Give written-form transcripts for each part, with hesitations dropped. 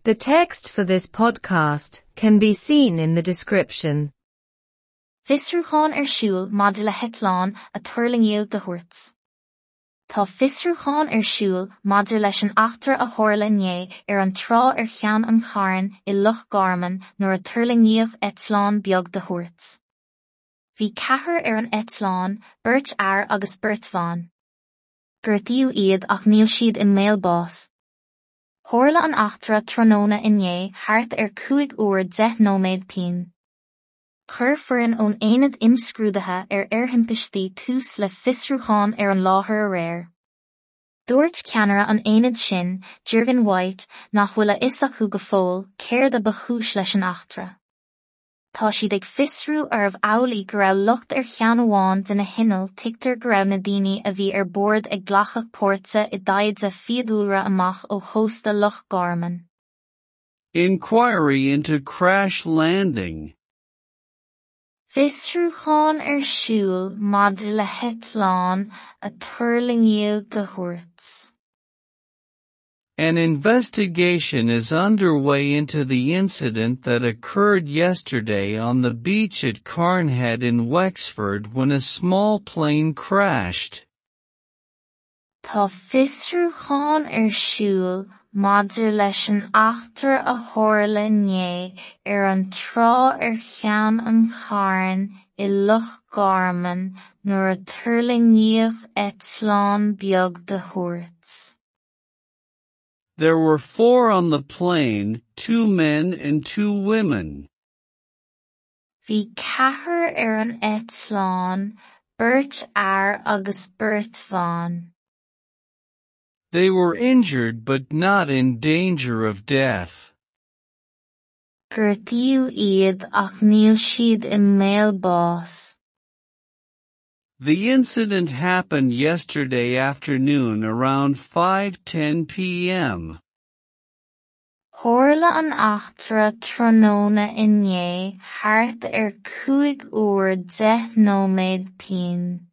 The text for this podcast can be seen in the description. Fiosrúchán ar siúl maidir le heitleán a tuirlingíodh de thuairt. Tá fiosrúchán ar siúl maidir leis an eachtra a tharla inné ar an trá ar Cheann an Chairn i Loch Garman nuair a tuirlingíodh eitleán beag de thuairt. Bhí ceathrar ar an eitleán, beirt fhear agus beirt bhan. Gortaíodh iad ach níl siad i mbaol báis. Tharla an eachtra tráthnóna inné thart ar 5 uair 10 nóiméad pinn. Chuir foireann ón Aonad Imscrúdaithe ar Aerthimpistí tús le fiosrúchán ar an láthair aréir. Dúirt ceannaire an aonaid sin, Jürgen White, nach bhfuil a fhios acu go fóill céard a ba chúis leis an eachtra. Tá siad ag fiosrú arbh amhlaidh go raibh locht ar cheann amháin de na hinnill tuigtear go raibh na daoine a bhí ar bord ag glacadh páirte i dtaighde fiadhúlra amach ó chósta Loch Garman. Inquiry into crash landing. Fiosrúchán ar siúl maidir le heitleán a tuirlingíodh de thuairt. An investigation is underway into the incident that occurred yesterday on the beach at Carnhead in Wexford when a small plane crashed. Tá fiosrúchán ar siúl maidir leis an eachtra a tharla inné ar an trá ar Cheann an Chairn i Loch Garman nuair a tuirlingíodh eitleán beag de thuairt. There were four on the plane, two men and two women. Bhí ceathrar ar an eitleán, beirt fhear agus beirt bhan. They were injured but not in danger of death. Gortaíodh iad ach níl siad i mbaol báis. The incident happened yesterday afternoon around 5:10 p.m. Tharla an eachtra tráthnóna inné thart ar 5 uair 10 nóiméad pinn.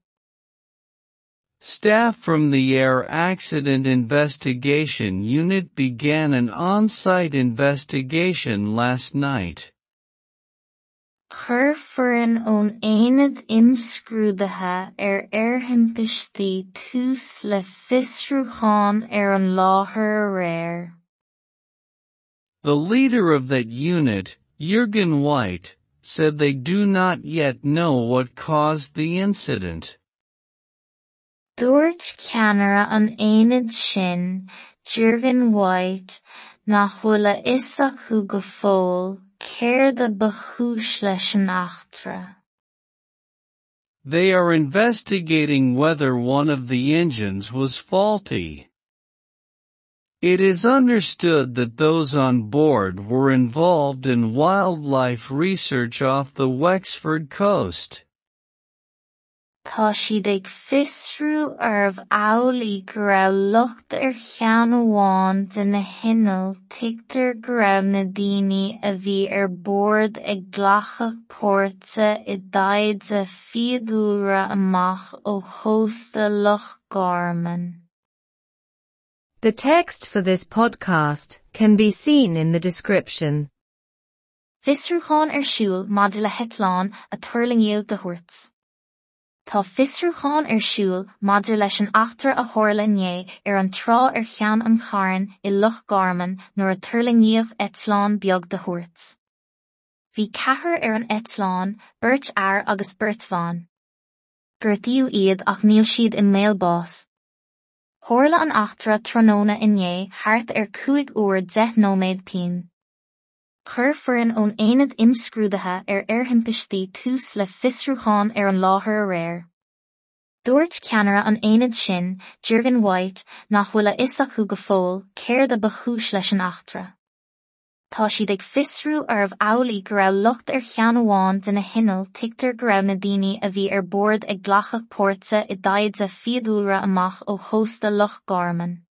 Staff from the Air Accident Investigation Unit began an on-site investigation last night. Chuir foireann ón Aonad Imscrúdaithe ar Aerthimpistí tús le fiosrúchán ar an láthair aréir. The leader of that unit, Jürgen White, said they do not yet know what caused the incident. Dúirt ceannaire an aonaid sin, Jürgen White, nach bhfuil a fhios acu go fóill céard a ba chúis leis an eachtra. They are investigating whether one of the engines was faulty. It is understood that those on board were involved in wildlife research off the Wexford coast. Tá siad ag fiosrú arbh amhlaidh go raibh locht ar cheann amháin de na hinnill tuigtear go raibh na daoine a bhí ar bord ag glacadh páirte i dtaighde fiadhúlra amach ó chósta Loch Garman. The text for this podcast can be seen in the description. Fiosrúchán ar siúl maidir le heitleán a tuirlingíodh de thuairt. Tá fiosrúchán ar siúl maidir leis an eachtra a tharla inné ar an trá ar Cheann an Chairn i Loch Garman nuair a tuirlingíodh eitleán beag de thuairt. Bhí ceathrar ar an eitleán, beirt fhear agus beirt bhan. Gortaíodh iad ach níl siad i mbaol báis. Tharla an eachtra tráthnóna inné thart ar 5 uair 10 nóiméad pinn. Chuir foireann ón Aonad Imscrúdaithe ar Aerthimpistí tús le fiosrúchán ar an láthair aréir. Dúirt ceannaire an aonaid sin, Jürgen White, nach bhfuil a fhios acu go fóill céard a ba chúis leis an eachtra. Tá siad ag fiosrú arbh amhlaidh go raibh locht ar cheann amháin de na hinnill tuigtear go raibh na daoine a bhí ar bord ag glacadh páirte i dtaighde fiadhúlra amach ó chósta Loch Garman.